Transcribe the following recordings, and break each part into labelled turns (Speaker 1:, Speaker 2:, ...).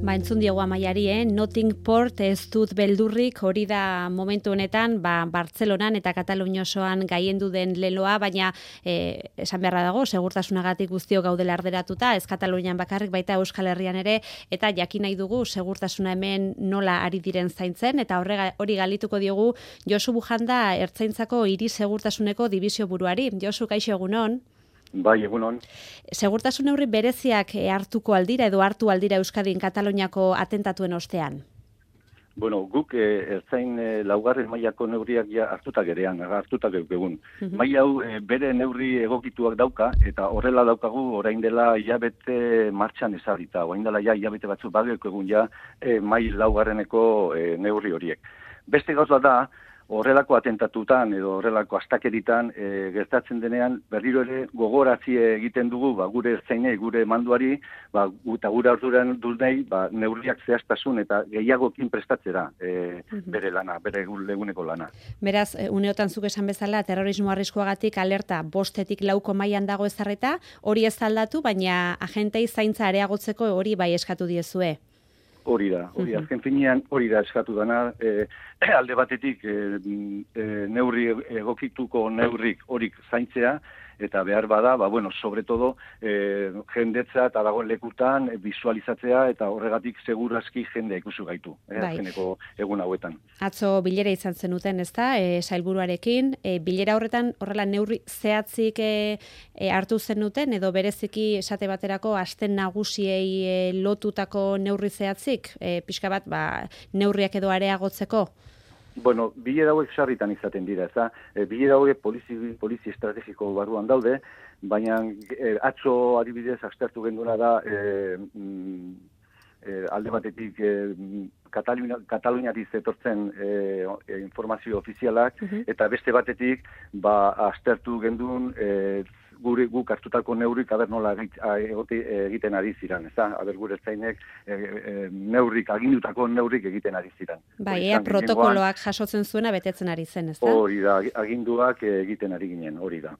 Speaker 1: Entzun diogu Amaiari, Nothing Port ez dut beldurrik, hori da momentu honetan, Bartzelonan eta Katalunian osoan gaiendu den leloa, baina esan beharra dago, segurtasunagatik guztiok gaudela arderatuta, ez Katalunian bakarrik, baita Euskal Herrian ere, eta jakin nahi dugu segurtasuna hemen nola ari diren zaintzen, eta hori galituko diogu Josu Bujanda, Ertzaintzako hiri segurtasuneko dibizio buruari. Josu, kaixo egunon?
Speaker 2: Bai, egunon.
Speaker 1: Segurtasun neurri bereziak hartuko aldira edo hartu aldira Euskadin Kataluniako atentatuen ostean?
Speaker 2: Bueno, guk ertzain laugarren mailako neurriak ja hartuta gerean, hartuta egun. Maila hau bere neurri egokituak dauka, eta horrela daukagu orain dela hilabete martxan ezarrita, orain dela ja hilabete batzuk badeko egun ja mail laugarreneko neurri horiek. Beste gauza da, horrelako atentatutan edo horrelako astakeritan gertatzen denean berriro ere gogorazi egiten dugu gure ertzainei, gure manduari, eta gure arduran durnei neurriak zehaztasun eta gehiagokin prestatzera bere lana, bere eguneko lana.
Speaker 1: Beraz, uneotan zuk esan bezala, terrorismo arriskuagatik alerta 5-tik 4 mailan dago ezarrita, hori ez aldatu, baina agentei zaintza areagotzeko hori bai eskatu diezue.
Speaker 2: Hori da, azken finean hori da eskatu dana, alde batetik neurri egokituko neurrik horik zaintzea, eta behar bada, sobre todo, jendetza eta dagoen lekutan visualizatzea eta horregatik segurazki jendea ikusi gaitu, azkeneko egun hauetan.
Speaker 1: Atzo bilera izan zenuten, ezta, sailburuarekin, bilera horretan horrela neurri zehatzik hartu zenuten, edo bereziki esate baterako aste nagusiei lotutako neurri zehatzik, pixka bat neurriak edo areagotzeko?
Speaker 2: Bueno, bilera hauek sarritan izaten dira, ez da? Bilera hauek polizi estrategiko barruan daude, baina atzo adibidez aztertu genduna da alde batetik Kataluniatik zetortzen informazio ofizialak, eta beste batetik aztertu gendun guk hartutako neurrik nola egiten ari ziren, ez da? Gure ertzainek neurrik, agindutako neurrik egiten ari ziren.
Speaker 1: Ea protokoloak jasotzen zuena betetzen ari zen, ez da?
Speaker 2: Hori da, aginduak egiten ari ginen, hori da.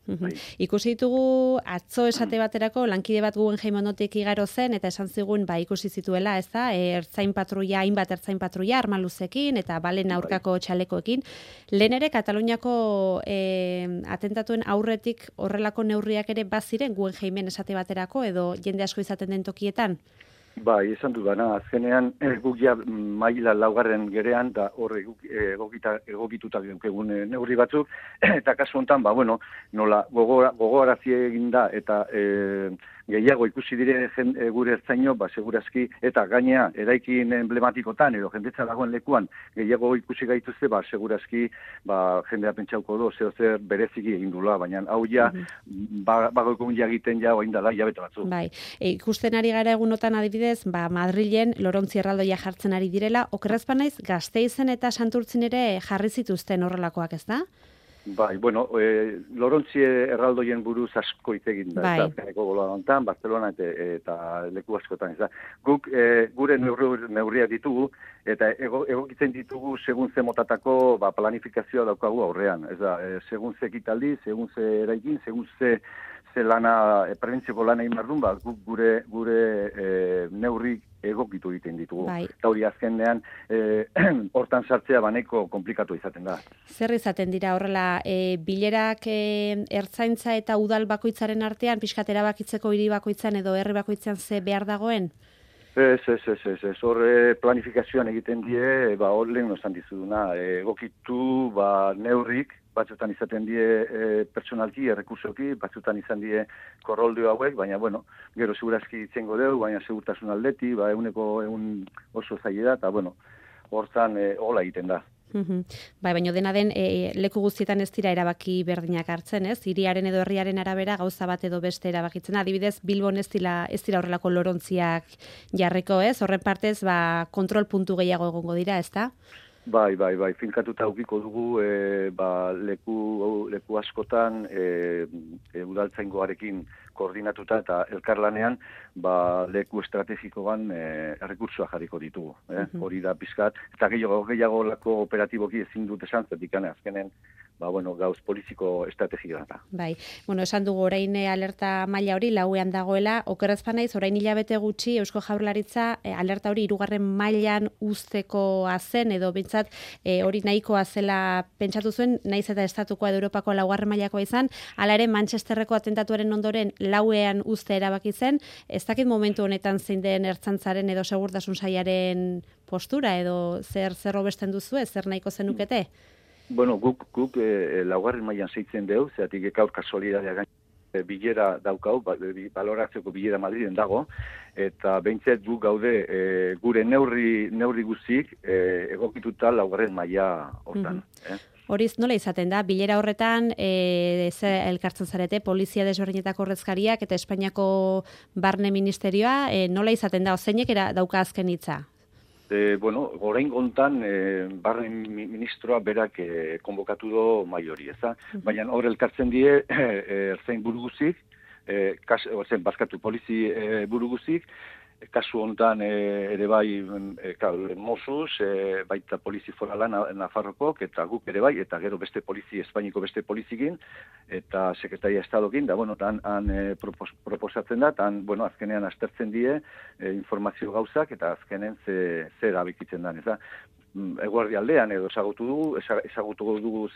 Speaker 1: Ikusi ditugu atzo esate baterako lankide bat Guggenheim ondotik igaro zen, eta esan zigun ikusi zituela, ez da? Ertzain patrulla, hainbat ertzain patrulla, armaluzekin, eta balen aurkako txalekoekin. Lehen ere, Kataluniako atentatuen aurretik horrelako neurriak ere baziren Guggenheimen esate baterako edo jende asko izaten den tokietan?
Speaker 2: Bai, esan du bana, azkenean guk ja maila laugarren gerean da horre egokitutak egun neurri batzuk, eta kasu honetan, nola gogoarazi egin da eta gehiago ikusi dire gure ertzaino, segurazki, eta gainea eraikin emblematikotan edo jendetza dagoen lekuan gehiago ikusi gaituzte, segurazki jendea pentsauko do, zer bereziki egin dula, baina hau ja bagoikun egiten ja oain dala hilabete batzu.
Speaker 1: Bai, ikusten ari gara egunotan adibidez, Madrilen Lorontzi erraldoia jartzen ari direla, okerraz banaiz Gasteizen eta Santurtzin ere jarri zituzten horrelakoak, ez da?
Speaker 2: Bai, Lorontzi erraldoien buruz asko hitz egin da, ez da, azkeneko gola Barcelona eta leku askotan, ez da. Guk gure neurriak ditugu, eta egokitzen ditugu segun ze motatako planifikazioa daukagu aurrean, ez da, segun ze ekitaldi, segun ze eraikin, segun ze lana, prebentzioko lana imardun, guk gure neurrik egokitu egiten ditugu. Eta hori azkenean, hortan sartzea baneko komplikatu izaten da.
Speaker 1: Zer izaten dira horrela, bilerak ertzaintza eta udal bakoitzaren artean, pixkat erabakitzeko hiri bakoitzan edo herri bakoitzan ze behar dagoen?
Speaker 2: Ez, horre planifikazioan egiten die, hor lehen esan dizuduna, egokitu neurrik, batzutan izaten die pertsonalki, errekursoki, batzutan izan die korroldio hauek, baina, gero segurazki itzengo dugu, baina segurtasun aldeti, eguneko oso zaila da, eta, hortzan hola egiten da.
Speaker 1: Baina dena den, leku guztietan ez dira erabaki berdinak hartzen, ez? Hiriaren edo herriaren arabera gauza bat edo beste erabakitzen. Adibidez, Bilbon ez dira horrelako lorontziak jarriko, ez? Horren partez, kontrol puntu gehiago egongo dira, ez da?
Speaker 2: Bai, finkatuta aukiko dugu leku askotan udaltzaingoarekin koordinatuta eta elkarlanean leku estrategikoan errekurtsoa jarriko ditugu. Hori da pizkat, eta gehiago lako operatiboki ezin dut esan, zetik azkenen gauz poliziko estrategia da.
Speaker 1: Bai, esan dugu orain alerta maila hori lauean dagoela, okerrez banaiz, orain hilabete gutxi Eusko Jaurlaritza alerta hori 3. mailan uztekoa zen, edo bintzat hori nahikoa zela pentsatu zuen, naiz eta estatukoa edo Europako 4. mailakoa izan, hala ere Manchesterreko atentatuaren ondoren lauean uzte erabaki zen, ez dakit momentu honetan zein den ertzaintzaren edo segurtasun sailaren postura, edo zer hobesten duzu, zer nahiko zenukete?
Speaker 2: Bueno, guk 4. mailan zeitzen deu, zeatik gaur kasualitatea gain bilera daukau, baloratzeko bilera Madriden dago, eta behintzet guk gaude gure neurri guztiak egokituta 4. maila hortan.
Speaker 1: Horiz, nola izaten da? Bilera horretan elkartzen zarete, polizia desberdinetako ordezkariak eta Espainiako Barne Ministerioa, nola izaten da? Zeinek dauka azken hitza?
Speaker 2: Orain gontan Barne Ministroa berak konbokatu do mai hori, ez da? Baina hor elkartzen die ertzain buru guzik, polizi buru guzik, kasu hontan ere bai Mossos, baita polizi forala Nafarrokok, eta guk ere bai, eta gero beste polizi, Espainiko beste polizikin, eta Sekretaria Estadokin, han proposatzen da, azkenean aztertzen die informazio gauzak, eta azkenen zer abikitzen da, ez da? Eguerdi aldean edo ezagutuko dugu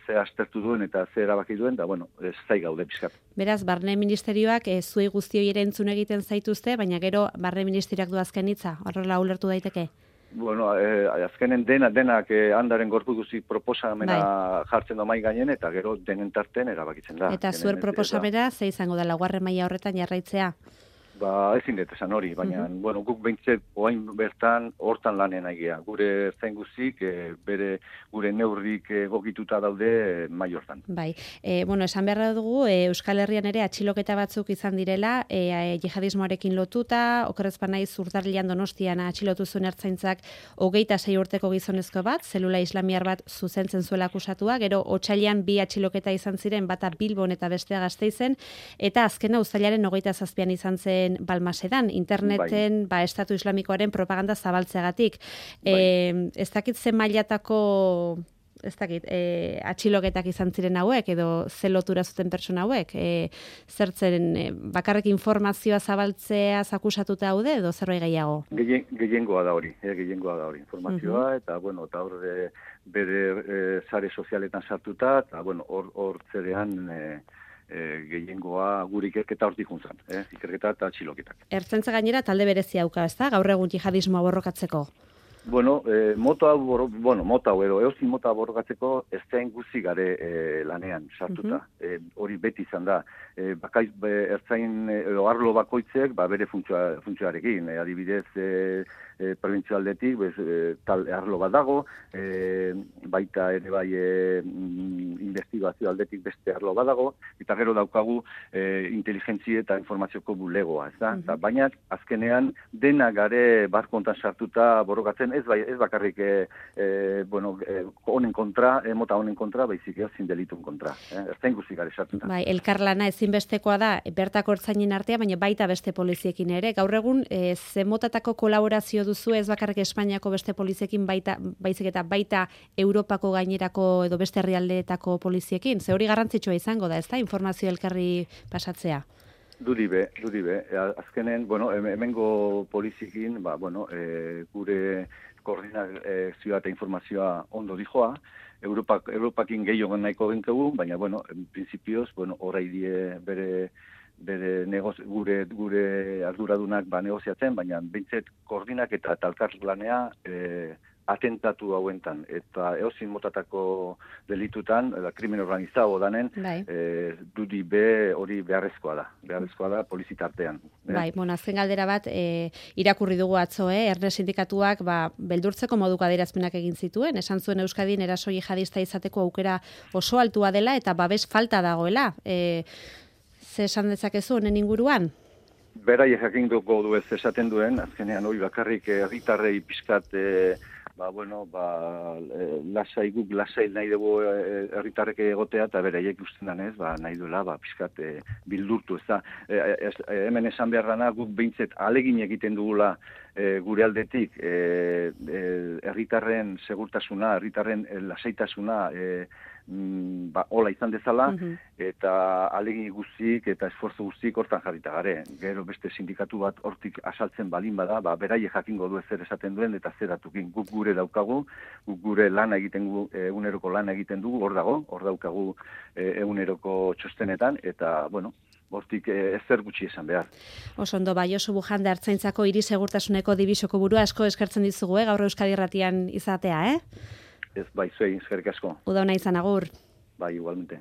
Speaker 2: ze aztertu duen eta ze erabaki duen, da, ez zai gaude pizkat.
Speaker 1: Beraz, Barne Ministerioak zuei guztioi ere entzun egiten zaituzte, baina gero Barne Ministerioak du azken hitza, horrela ulertu daiteke?
Speaker 2: Azkenen denak handaren gorpu guzik proposamena jartzen da mai gainen, eta gero denen tarten erabakitzen da.
Speaker 1: Eta zuer proposamena, ze izango da 4. maila horretan jarraitzea?
Speaker 2: Ezin dut esan hori, baina guk behintzet oain bertan hortan lanen aigea. Gure ertzain guzik, gure neurrik egokituta daude mai hortan.
Speaker 1: Bai, esan beharra dugu, Euskal Herrian ere atxiloketa batzuk izan direla, jihadismoarekin lotuta, okerrez banaiz Urtarrilean Donostian atxilotu zuen ertzaintzak 26 urteko gizonezko bat, zelula islamiar bat zuzentzen zuela akusatua, gero otsailean 2 atxiloketa izan ziren, bata Bilbon eta bestea Gasteizen, eta azkena uztailaren 27 izan zen Balmasedan, interneten Estatu Islamikoaren propaganda zabaltzeagatik. Ez dakit zen mailatako atxiloketak izan ziren hauek, edo ze lotura zuten pertsona hauek, zertzen bakarrik informazioa zabaltzea akusatuta haude, edo zerbait gehiago?
Speaker 2: Gehiengoa da hori, informazioa, eta hor bere sare sozialetan sartuta, eta hor zerean gehiengoa gure ikerketa hortik juntzan, ikerketa eta atxiloketak.
Speaker 1: Ertzaintza gainera talde berezia dauka, ezta? Gaur egun jihadismoa borrokatzeko.
Speaker 2: Mota hau edo eozin mota borrokatzeko ez zain guzi gare lanean sartuta. Hori beti izan da. Ertzain edo arlo bakoitzek bere funtzioarekin. Adibidez, prebentzio aldetik, tal arlo bat dago, baita ere bai investigazio aldetik beste arlo bat dago, eta gero daukagu inteligentzia eta informazioko bulegoa, ez da? Baina azkenean dena gare barkontan sartuta borrokatzen, ez bakarrik honen kontra, mota honen kontra, baizik ezin delitun kontra. Ertzain guzi gare sartuta.
Speaker 1: Bai, elkarlana ezinbestekoa da bertako ertzainen artea, baina baita beste poliziekin ere. Gaur egun, ze motatako kolaborazio duzu ez bakarrik Espainiako beste poliziekin, baizik eta baita Europako gainerako edo beste herrialdeetako poliziekin. Ze hori garrantzitsua izango da, ez da, informazio elkarri pasatzea?
Speaker 2: Dudibe. Azkenen, hemengo poliziekin, gure koordinazioa eta informazioa ondo dijoa, Europakin gehiago nahiko gentugu, baina, en principios, horai die gure arduradunak negoziatzen, baina bintzet koordinak eta talkarlanea atentatu hauentan, eta eozin motatako delitutan, krimen organizado danen, dudi hori beharrezkoa da polizitartean.
Speaker 1: Bai, azken galdera bat, irakurri dugu atzo, Erne sindikatuak beldurtzeko moduko adierazpenak egin zituen, esan zuen Euskadin eraso jihadista izateko aukera oso altua dela, eta babes falta dagoela. Ze esan dezakezu honen inguruan?
Speaker 2: Berai jakin dugu du ez esaten duen, azkenean hori bakarrik herritarrei pizkat Lasai guk lasai nahi dugu herritarrek egotea, eta beraiek usten danez, nahi duela, pixkat bildurtu, ez da. Hemen esan behar dana, guk behintzet alegin egiten dugula gure aldetik, herritarren segurtasuna, herritarren lasaitasuna, hola izan dezala, eta alegin guztik eta esforzo guztik hortan jarrita gare. Gero beste sindikatu bat hortik asaltzen balin bada, beraie jakingo du zer esaten duen eta zer datukin. Guk gure daukagu, guk gure lana egiten dugu, eguneroko lana egiten dugu, hor daukagu eguneroko txostenetan, eta, hortik ezer gutxi esan behar.
Speaker 1: Oso ondo, Josu Bujande Ertzaintzako hiri segurtasuneko dibisoko burua, asko eskertzen dizugu, gaur Euskadi Irratian izatea,
Speaker 2: Ez, zuei, eskerrik asko.
Speaker 1: Uda ona izan, agur.
Speaker 2: Igualmente.